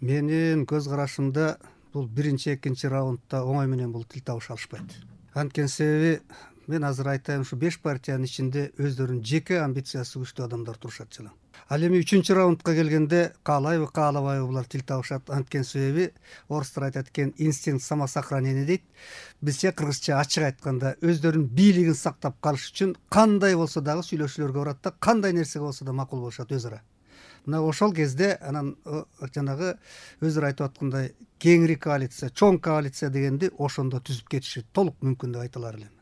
Менин көз карашымда бул биринчи, экинчи раундда оңой менен бул тил табыша алышпайт. Анткени себеби мен азыр айтайын, ушу 5 партиянын ичинде өздөрүнүн жеке амбициясы күчтүү адамдар турушат жана. Ал эми 3-чү раундка келгенде каалайбы, каалабайбы булар тил табышат. Анткени себеби орустар айтат экен, инстинкт самосохранения дейт. Бизче кыргызча ачык айтканда өздөрүнүн бийлигин сактап калыш үчүн кандай болсо дагы сүйлөшүүлөргө барат да, кандай нерсеге болсо да макул болушат өз ара. Мына ошол кезде анан жанагы өздөрү айтып аткандай кеңири коалиция, чоң коалиция дегенди ошондо түзүп кетиши толук мүмкүн деп айта алар элем.